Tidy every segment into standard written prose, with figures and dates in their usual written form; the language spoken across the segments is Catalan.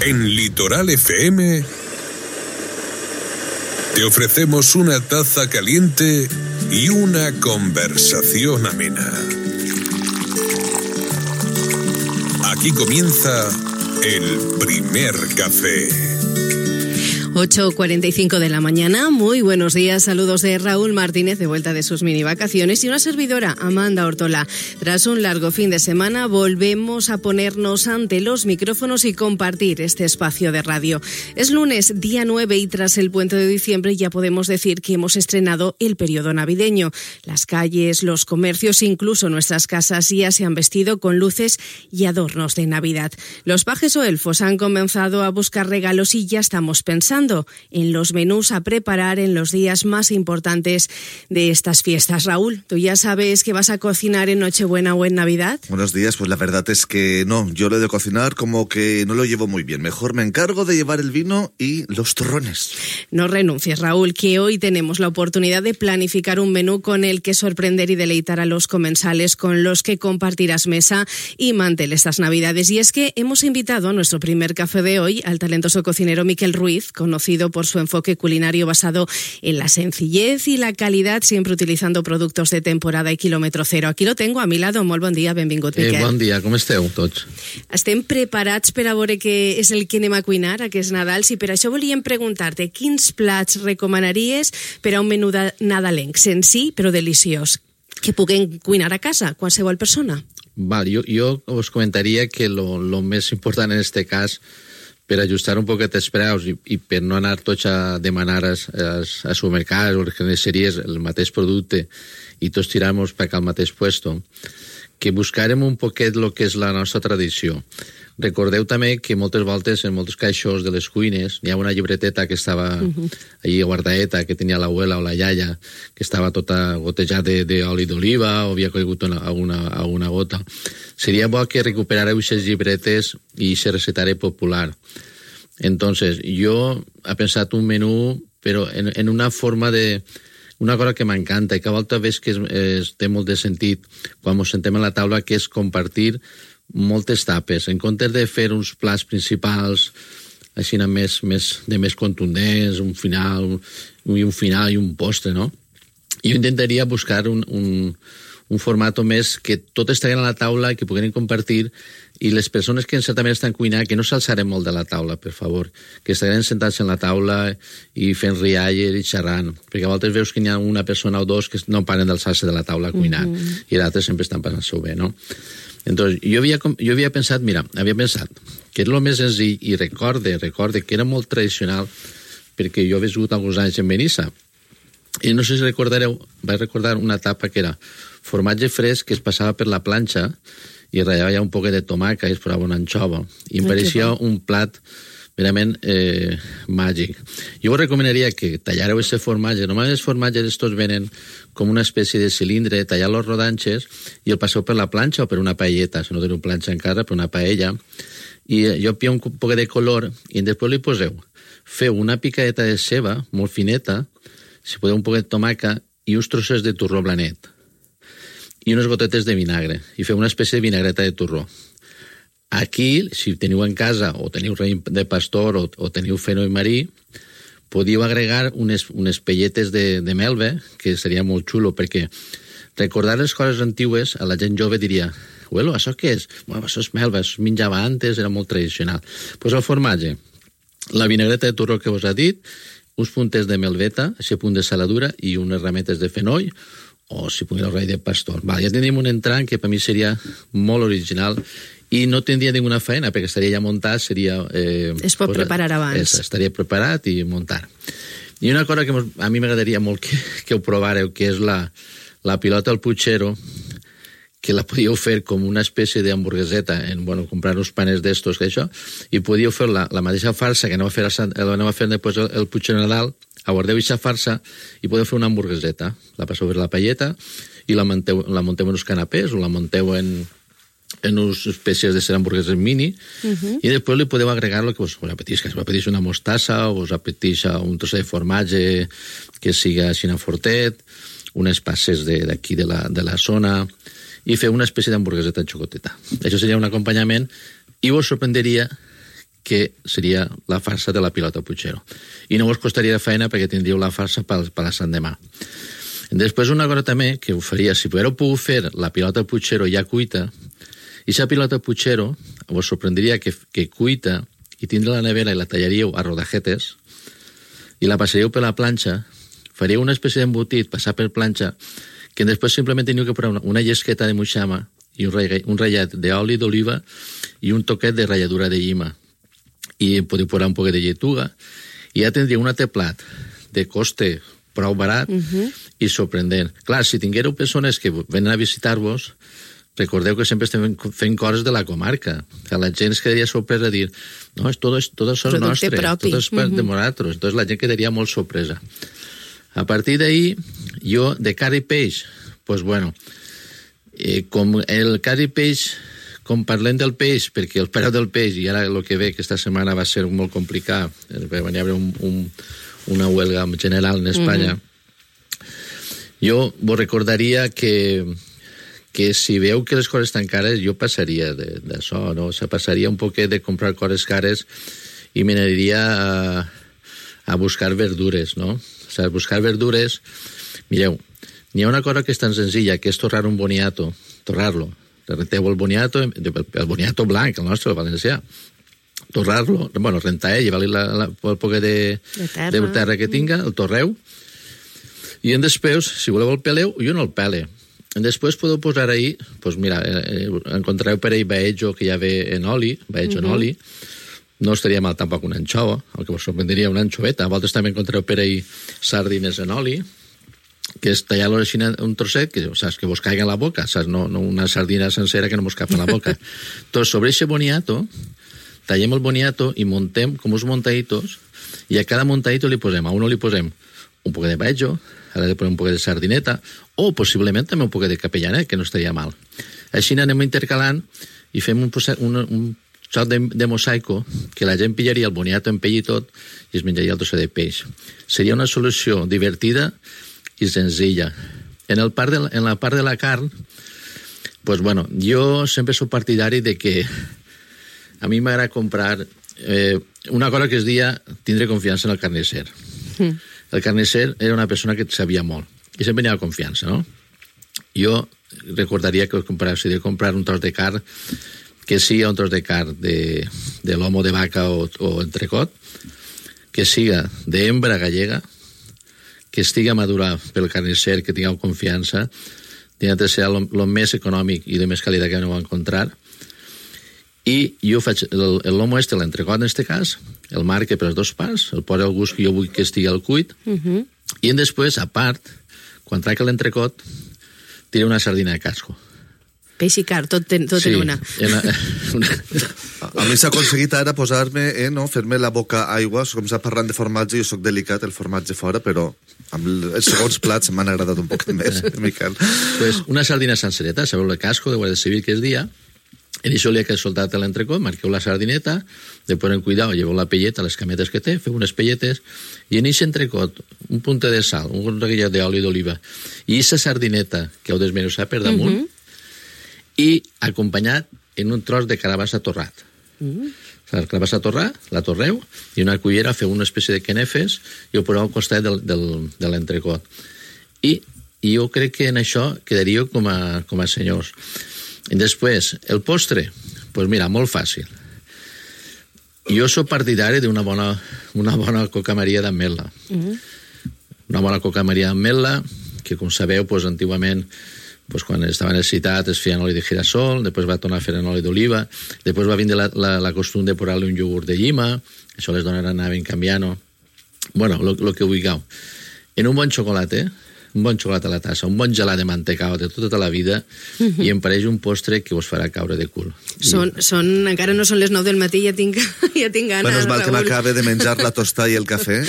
En Litoral FM te ofrecemos una taza caliente y una conversación amena. Aquí comienza el primer café. 8:45 de la mañana, muy buenos días, saludos de Raúl Martínez de vuelta de sus mini vacaciones y una servidora, Amanda Ortola. Tras un largo fin de semana volvemos a ponernos ante los micrófonos y compartir este espacio de radio. Es lunes, día 9 y tras el puente de diciembre ya podemos decir que hemos estrenado el periodo navideño. Las calles, los comercios, incluso nuestras casas ya se han vestido con luces y adornos de Navidad. Los pajes o elfos han comenzado a buscar regalos y ya estamos pensando en los menús a preparar en los días más importantes de estas fiestas. Raúl, ¿tú ya sabes que vas a cocinar en Nochebuena o en Navidad? Buenos días, pues la verdad es que no, yo lo de cocinar como que no lo llevo muy bien. Mejor me encargo de llevar el vino y los turrones. No renuncies, Raúl, que hoy tenemos la oportunidad de planificar un menú con el que sorprender y deleitar a los comensales con los que compartirás mesa y mantel estas Navidades. Y es que hemos invitado a nuestro primer café de hoy al talentoso cocinero Miquel Ruiz, conocido por su enfoque culinario basado en la sencillez y la calidad, siempre utilizando productos de temporada y kilómetro cero. Aquí lo tengo a mi lado. Molt bon dia, benvingut, Miquel. Bon dia, com esteu tots? Estem preparats per a veure què és el que anem a cuinar aquest Nadal. I per això volíem preguntar-te quins plats recomanaries per a un menú nadalenc, senzill però deliciós, que puguem cuinar a casa, qualsevol persona? Vale, jo us comentaria que lo més important en este cas, per ajustar un poquet els preus i per no anar tots a demanar als supermercats o a les carnisseries el mateix producte i tots tiramos per al mateix puesto, que buscarem un poquet el que és la nostra tradició. Recordeu també que moltes voltes en molts caixos de les cuines hi ha una llibreteta que estava allí guardadeta, que tenia l'abuela o la iaia, que estava tota gotejada d'oli d'oliva o havia caigut alguna gota. Seria bo que recuperareu aquestes llibretes i aquest recetari popular. Entonces, jo he pensat un menú, però en una forma de... Una cosa que m'encanta i que a voltes veig que té molt de sentit quan ens sentem a la taula, que és compartir moltes tapes. En comptes de fer uns plats principals així més contundents, un final i un postre, no? Jo intentaria buscar un format més que tot estigui a la taula i que puguin compartir, i les persones que certament estan cuinant, que no s'alçarem molt de la taula, per favor, que estarem sentats en la taula i fent rialles i xerrant, perquè a voltes veus que hi ha una persona o dos que no paren d'alçar-se de la taula cuinant, i d'altres sempre estan passant-se bé, no? Entonces, jo havia pensat que era el més senzill, i recorde que era molt tradicional, perquè jo he viscut alguns anys en Benissa, i no sé si recordareu, vaig recordar una etapa que era formatge fresc que es passava per la planxa i ratllava ja un poquet de tomaca i es posava una anxova, i em pareixia un plat verament màgic. Jo us recomanaria que tallareu aquest formatge. Normalment els formatges estos venen com una espècie de cilindre, tallar-los rodanxes i el passeu per la planxa o per una paelleta, si no teniu planxa encara, per una paella, i jo pia un poquet de color i després li feu una picadeta de ceba molt fineta, si podeu un poquet de tomaca i uns trossos de torró blanet i unes gotetes de vinagre, i feu una espècie de vinagreta de torró. Aquí, si teniu en casa o teniu raïm de pastor o teniu fenoi marí, podíeu agregar unes pelletes de melva, que seria molt xulo, perquè recordar les coses antigues a la gent jove diria: «Bueno, això què és?» «Bueno, això és melva, això es menjava antes, era molt tradicional». Pues el formatge, la vinagreta de torró que us ha dit, uns puntes de melveta, aquest punt de saladura i unes rametes de fenoi, o si pugueu el raïm de pastor. Ja tindríem un entrant que per mi seria molt original i no tindria ninguna feina, perquè estaria ja muntat, seria... Es pot preparar abans. Estaria preparat i muntar. I una cosa que a mi m'agradaria molt que ho provareu, que és la pilota al puchero, que la podíeu fer com una espècie d'hamburgueseta, comprar uns panes d'estos, que això, i podíeu fer la mateixa farsa que aneu a fer després el puchero Nadal, aguardeu aquesta farsa i podeu fer una hamburgueseta. La passeu per la paelleta i la munteu en uns canapés o la munteu en unes espècies de ser hamburgueses mini i després li podeu agregar el que us apetisca. Si us apeteix una mostassa o us apeteix un tros de formatge que siga així fortet, unes passes d'aquí de la zona i fer una espècie d'hamburgueseta xocoteta. Això seria un acompanyament i vos sorprendria que que seria la farsa de la pilota Puigceró. I no us costaria feina perquè tindríeu la farsa per la Sant demà. Després una cosa també que ho faria, si haguéreu pogut fer la pilota Puigceró ja cuita, i la pilota Puigceró us sorprendria que cuita i tindre la nevera i la tallaríeu a rodajetes i la passaríeu per la planxa, faríeu una espècie d'embotit, passar per planxa, que després simplement teniu que posar una llesqueta de moixama i un ratllat d'oli d'oliva i un toquet de ratlladura de llima. I podeu posar un poquet de lletuga i ja tindríeu un altre plat de coste prou barat i sorprendent. Clar, si tinguéreu persones que venen a visitar-vos, recordeu que sempre estem fent coses de la comarca. Que la gent es quedaria sorpresa a dir no, tot això és nostre, tot és de nosaltres. Entonces la gent quedaria molt sorpresa. A partir d'ahí, jo, de carn i peix, pues bueno, com el carn i peix, com parlem del peix, perquè el preu del peix, i ara el que ve, que esta setmana va ser molt complicat, va haver una huelga general en Espanya, jo vos recordaria que si veu que les coses estan cares, jo passaria d'això, no? O sea, passaria un poquet de comprar coses cares i m'aniria a buscar verdures, no? O sea, buscar verdures, mireu, n'hi ha una cosa que és tan senzilla, que és torrar un boniato, torrar-lo. Renteu el boniato blanc, el nostre, el valencià. Torrar-lo, bueno, rentar, llevar-li el poquet de terra que tinga, el torreu, i després, si voleu el peleu, jo no el pele. Després podeu posar ahí, pues mira, encontrareu per ahí baejo que ja ve en oli, baejo en oli, no estaria mal tampoc una anxova, el que vos sorprendria una anxoveta. A vosaltres també encontrareu per ahí sardines en oli, que és tallar-lo així un trosset, que saps, que vos caiga a la boca, saps? No una sardina sencera que no vos cap a la boca. Entonces, sobre ese boniato, tallem el boniato i montem com uns montaditos, i a cada montadito li posem, a uno li posem un poc de baejo, ara li posem un poc de sardineta, o possiblement també un poc de capellanet, que no estaria mal. Així anem intercalant i fem un xoc de mosaico que la gent pillaria el boniato en pell i tot i es menjaria el trosset de peix. Seria una solució divertida i senzilla. En la part de la carn, pues bueno, jo sempre soc partidari de que a mi m'agrada comprar una cosa que es deia tindre confiança en el carnisser. El carnisser era una persona que sabia molt i sempre n'hi ha confiança, no? Jo recordaria que si de comprar un tros de carn, que siga un tros de carn de lomo de vaca o entrecot, que siga d'hembra gallega, que estigui madurat pel carnisser, que tingueu confiança, tindrà de ser el més econòmic i de més qualitat que aneu a encontrar. I jo faig el lomo l'entrecot en aquest cas, el marque per les dues parts, el poso al gust que jo vull que estigui al cuit, i després, a part, quan traic l'entrecot, tiro una sardina de casco. Peix i carn, tot en una. A mi s'ha aconseguit ara posar-me, fer-me la boca aigua, com s'ha parlant de formatge, jo soc delicat, el formatge fora, però amb els segons plats m'han agradat un poc més, Miquel. Pues una sardina sencereta, sabeu el casco de Guàrdia Civil que és dia, en això li ha soltat l'entrecot, marqueu la sardineta, després en cuidado, lleveu la pelleta, les cametes que té, feu unes pelletes, i en aquest entrecot, un punta de sal, un reguillat d'oli d'oliva, i aquesta sardineta que heu desmenussat per damunt, i acompanyat en un tros de carabassa torrat. La carabassa torrat, la torreu, i una cullera feu una espècie de quenefes i ho poseu al costat de l'entrecot. I jo crec que en això quedaríeu com a senyors. I després, el postre, doncs mira, molt fàcil. Jo soc partidari d'una bona coca Maria d'ametla. Una bona coca Maria d'ametla, que com sabeu, antigament, quan estava necessitat es feia en oli de girasol, després va tornar a fer en oli d'oliva, després va vindre la costum de posar-li un iogurt de llima, això les dones anaven canviant. Bueno, el que vulgueu. En un bon xocolata, un bon xocolata a la tassa, un bon gelat de mantecao de tota la vida, i em pareix un postre que us farà caure de cul. Encara no són les 9 del matí, ja tinc gana. Bueno, és mal que m'acabe de menjar la tosta i el cafè,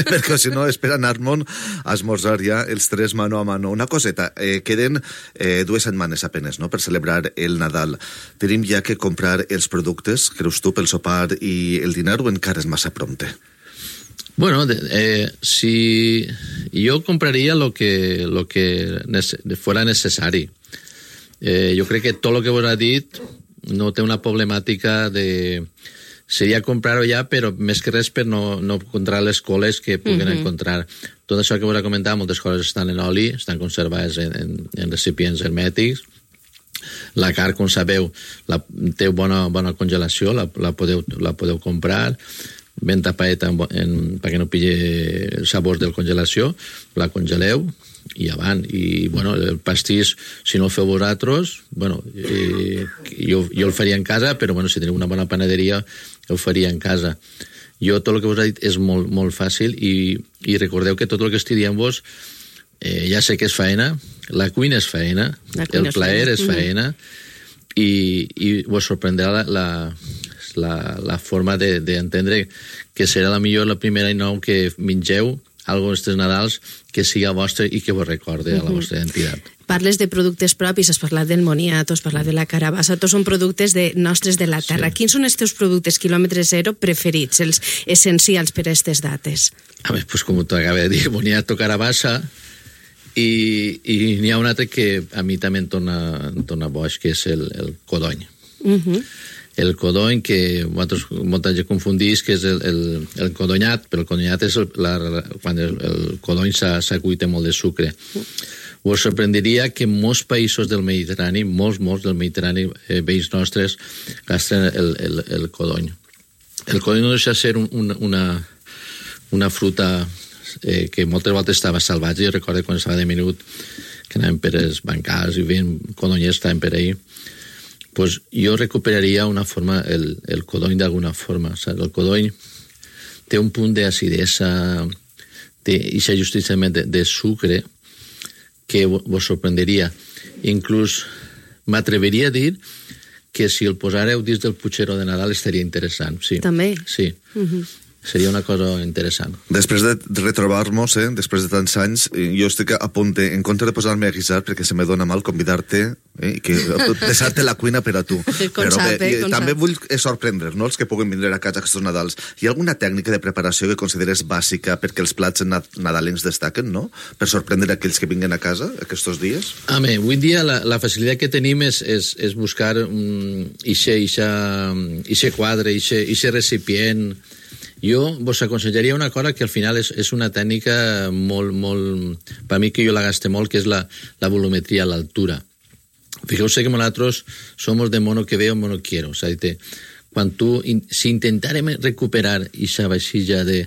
perquè si no, espera anar-me'n a esmorzar ja els tres mano a mano. Una coseta, queden 2 setmanes apenes, no?, per celebrar el Nadal. Tenim ja que comprar els productes, creus tu, pel sopar i el dinar, o encara és massa prompte? Bueno, si yo compraría lo que fuera necesario. Yo creo que todo lo que vos ha dit no té una problemàtica de seria comprar-ho ja, però més que res per no encontrar les coles que puguen encontrar. Tot això que vos he comentat, moltes coses estan en oli, estan conservades en recipients hermètics. La carn, com sabeu, té bona congelació, la podeu comprar ben tapadeta perquè no pilli sabors de congelació, la congeleu i avant. I, bueno, el pastís, si no el feu vosaltres, bueno, jo el faria en casa, però, bueno, si teniu una bona panaderia, el faria en casa. Jo, tot el que vos he dit és molt, molt fàcil i recordeu que tot el que estic dient-vos ja sé que és faena, la cuina és faena, el plaer és faena, i vos sorprendrà la forma d'entendre que serà la millor la primera i nou que mengeu algo d'estes Nadals que siga vostre i que vos recorde a la vostra identitat. Parles de productes propis, has parlat del moniato, has parlat de la carabassa, tots són productes nostres de la terra. Sí. Quins són els teus productes quilòmetre zero preferits, els essencials per a aquestes dates? A més, pues, com t'acabo de dir, moniato, carabassa, i n'hi ha un altre que a mi també em torna boig, que és el codony. El codony, que molta gent confundís, que és el codonyat, però el codonyat és quan el codony s'ha cuit amb molt de sucre. Us sorprendria que molts països del Mediterrani, molts del Mediterrani, veïns nostres, gasten el codony. El codony no deixa ser una fruta que moltes voltes estava salvatge. Jo recordo quan estava de minut que anàvem per els bancals i veiem codonyers, estàvem per ahir. Pues jo recuperaria una forma, el codony d'alguna forma. Saps? El codony té un punt d'acidesa, té aquesta justiciament de sucre que vos sorprenderia. Inclús m'atreveria a dir que si el posareu dins del putxero de Nadal estaria interessant. Sí. També? Sí. Seria una cosa interessant. Després de retrobar-nos, després de tants anys, jo estic a punt en compte de posar-me a guisar, perquè se me dona mal convidar-te i deixar-te la cuina per a tu. Però també vull sorprendre, no?, els que puguen vindre a casa aquests Nadals. Hi ha alguna tècnica de preparació que consideres bàsica perquè els plats nadalencs destaquen, no?, per sorprendre aquells que vinguen a casa aquests dies? Home, avui dia la facilitat que tenim és buscar ixe quadre, ixe recipient. Jo vos aconsellaria una cosa que al final és una tècnica molt... Per mi que jo la gaste molt, que és la volumetria a l'altura. Fijeu-se que nosaltres som de mono que veo, mono quiero. O sigui, si intentarem recuperar aquesta vaixilla que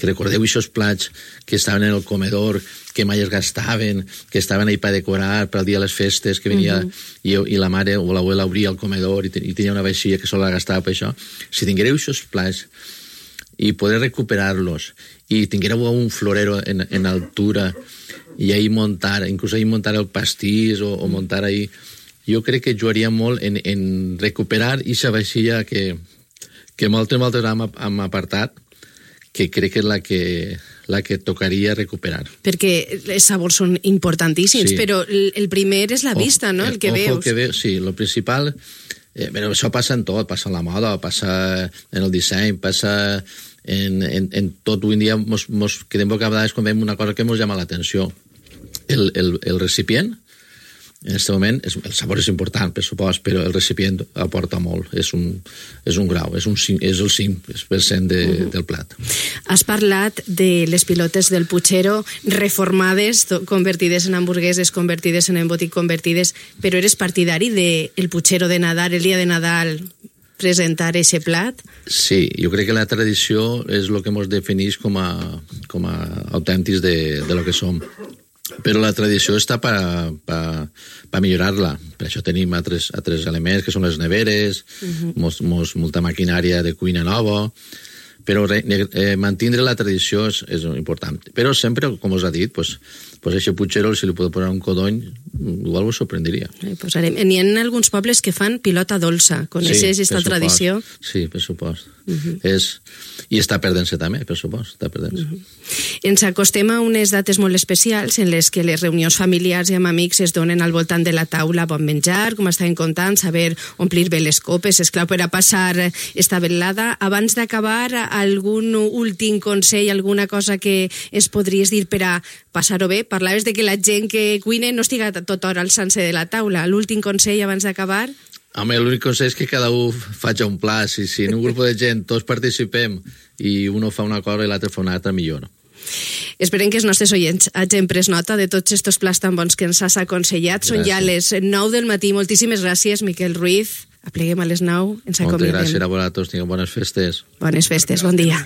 recordeu aquests plats que estaven en el comedor, que mai es gastaven, que estaven ahí per decorar per al dia de les festes, que venia i la mare o l'abuela obria el comedor i tenia una vaixilla que sola la gastava per això. Si tinguereu aquests plats i poder recuperar-los i tinguéreu un florero en altura i ahí inclús ahí montar el pastís o montar ahí, jo crec que jugaria molt en recuperar aquesta vaixilla que moltes hem apartat, que crec que és la que tocaria recuperar. Perquè els sabors són importantíssims, sí. Però el primer és la vista, no?, el que veus. Sí, el principal... Però això passa en tot, passa en la moda, passa en el disseny, passa en tot. Avui en dia ens quedem bocabadats quan veiem una cosa que ens llama l'atenció. El recipient, en aquest moment, el sabor és important, per supost, però el recipient aporta molt. És un grau, és el 5% del plat. Has parlat de les pilotes del putxero reformades, convertides en hamburgueses, convertides en embotit, convertides, però eres partidari del putxero de Nadal, el dia de Nadal, presentar aquest plat? Sí, jo crec que la tradició és el que ens defineix com a autèntics de lo que som. Però la tradició està per millorar-la. Per això tenim altres elements, que són les neveres, molta maquinària de cuina nova, però mantindre la tradició és important. Però sempre, com us ha dit, aquest putxero, si li podeu posar un codony, igual us sorprendria. N'hi ha alguns pobles que fan pilota dolça. Coneixes aquesta tradició? Sí, per supost. I està perdent-se també, per supost, està perdent-se. Ens acostem a unes dates molt especials en les que les reunions familiars i amb amics es donen al voltant de la taula, bon menjar, com estàvem contant, saber omplir bé les copes, esclar, per a passar esta velada. Abans d'acabar, algun últim consell, alguna cosa que es podries dir per a passar-ho bé? Parlaves de que la gent que cuina no estiga tota hora alçant-se de la taula. L'últim consell abans d'acabar? Home, l'únic consell és que cada un faci un pla. Si en un grup de gent tots participem i un fa una cosa i l'altre fa una altra, millor, no? Esperem que els nostres oients hagin pres nota de tots aquests plans tan bons que ens has aconsellat. Gràcies. Són ja les 9 del matí. Moltíssimes gràcies, Miquel Ruiz. Apleguem a les 9, ens acomiadem. Moltes gràcies a vosaltres, tingueu bones festes. Bones festes, bon dia.